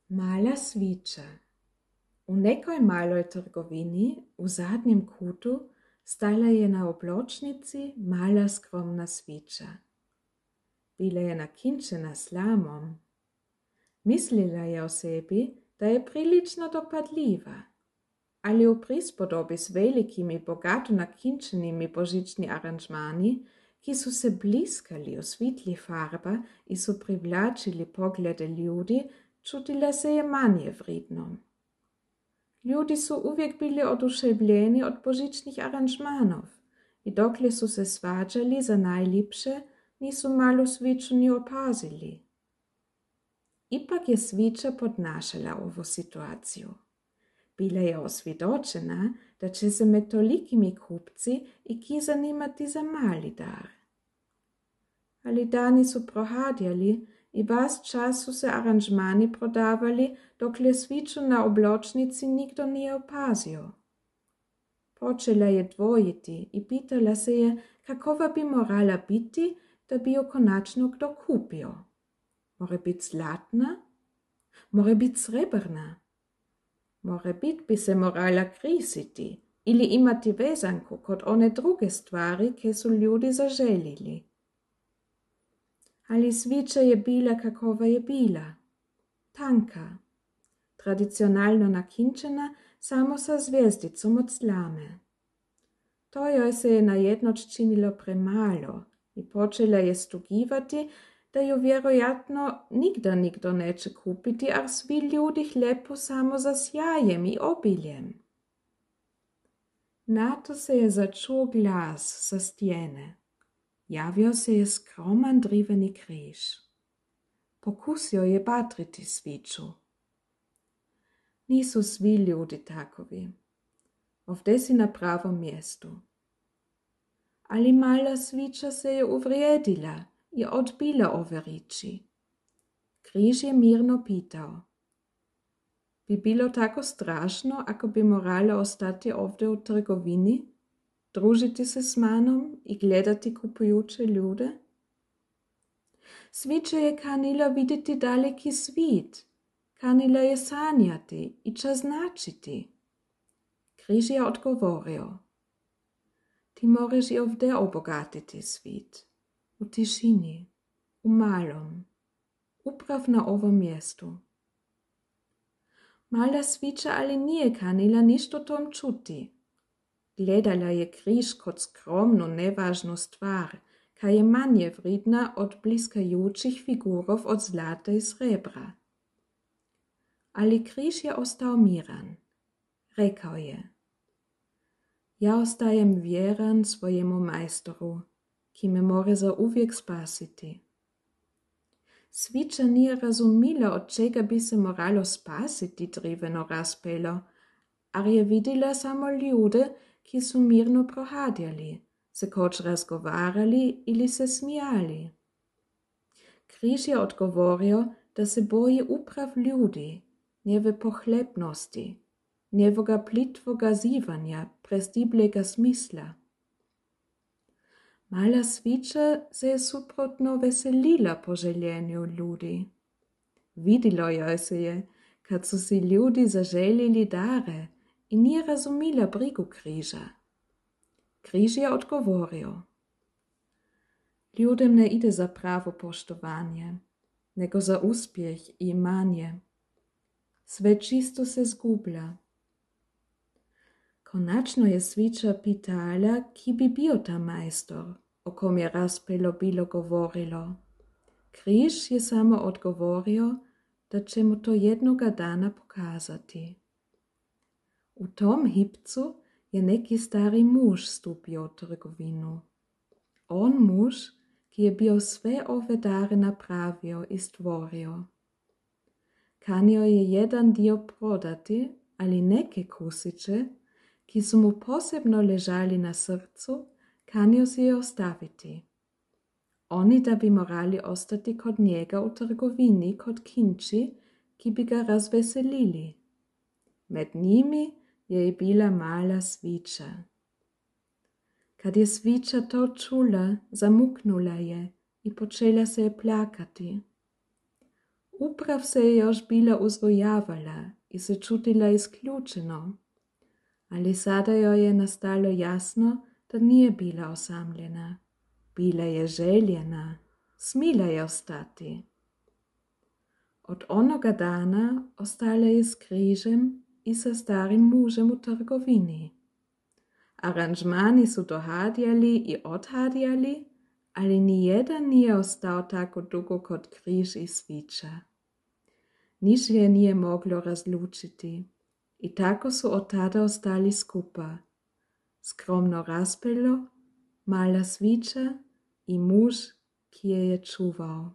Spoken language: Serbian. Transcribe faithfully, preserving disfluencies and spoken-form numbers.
Mala svića. U nekoj maloj trgovini u zadnjem kutu stajala je na obločnici mala skromna svića. Bila je nakinčena slamom. Mislila je o sebi, da je prilično dopadljiva, ali u prispodobi s velikimi bogato nakinčenimi božićni aranžmani, ki su se bliskali u svitli farba i su privlačili poglede ljudi, čutila se je manje vridnom. Ljudi su uvijek bili oduševljeni od božićnih aranžmanov i dokle su se svađali za najljepše, nisu malu sviću ni opazili. Ipak je svića podnašala ovu situaciju. Bila je osvjedočena, da će se med tolikimi kupci i ki zanimati za mali dar. Ali dani su prohadjali i vas čas su se aranžmani prodavali, dokle sviću na obločnici nikdo nije opazio. Počela je dvojiti i pitala se je, kakova bi morala biti, da bi jo konačno kdo kupio. More bit zlatna? More bit srebrna? More bit bi se morala krisiti ili imati vezanku kod one druge stvari, ke su ljudi zaželili. Ali svića je bila kakova je bila. Tanka, tradicionalno nakinčena samo sa zvijezdicom od slame. To joj se je najednoć činilo premalo i počela je stugivati, da ju vjerojatno nigda nikdo neće kupiti, ar svi ljudi hlepu samo za sjajem i obiljem. Nato se je začuo glas sa stjene. Javio se je skroman driveni križ. Pokusio je batriti sviću. Nisu svi ljudi takovi. Ovdje si na pravom mjestu. Ali mala svića se je uvrijedila i odbila ove riči. Križ je mirno pitao. Bi bilo tako strašno, ako bi morala ostati ovdje u trgovini, družiti se s manom i gledati kupujuće ljude? Svića je kanila vidjeti daleki svit, kanila je sanjati i čas značiti. Križ je odgovorio. Ti moreš i ovdje obogatiti svit, u tišini, u malom, uprav na ovom mjestu. Mala svića ali nije kanila ništa o tom čuti. Gledala je križ kot skromnu, nevažnu stvar, ka je manje vridna od bliskajućih figurov od zlata i srebra. Ali križ je ostao miran. Rekao je, ja ostajem vjeran svojemu majstoru, ki me more za uvijek spasiti. Svića nije razumila, od čega bi se moralo spasiti driveno razpelo, ar je vidjela samo ljude, ki su mirno prohadjali, se koč razgovarali ili se smijali. Križ je odgovorio, da se boji uprav ljudi, njeve pohlepnosti, njevoga plitvoga zivanja, prestiblega smisla. Mala svića se je suprotno veselila po željenju ljudi. Vidilo joj se je, kad su si ljudi zaželjeli dare i nije razumila brigu križa. Križ je odgovorio. Ljudem ne ide za pravo poštovanje, nego za uspjeh i imanje. Sve čisto se zgublja. Konačno je svića pitala, ki bi bio ta majstor, o kom je razpelo bilo govorilo. Križ je samo odgovorio, da će mu to jednoga dana pokazati. U tom hipcu je neki stari muž stupio u trgovinu. On muž, ki je bio sve ove dare napravio i stvorio. Kanio je jedan dio prodati, ali neke kusiće, ki su mu posebno ležali na srcu, kanio si je ostaviti. Oni da bi morali ostati kod njega u trgovini kod kinči, ki bi ga razveselili. Med njimi je i bila mala svića. Kad je svića to čula, zamuknula je i počela se je plakati. Uprav se je još bila uzvojavala i se čutila isključeno, ali sada joj je nastalo jasno, da nije bila osamljena. Bila je željena, smila je ostati. Od onoga dana ostala je s križem i sa starim mužem u trgovini. Aranžmani su dohadjali i odhadjali, ali nijedan nije ostao tako dugo kot križ i svića. Niš je nije moglo razlučiti i tako su od tada ostali skupa. Skromno raspelo, mala svića i muž, ki je je čuval.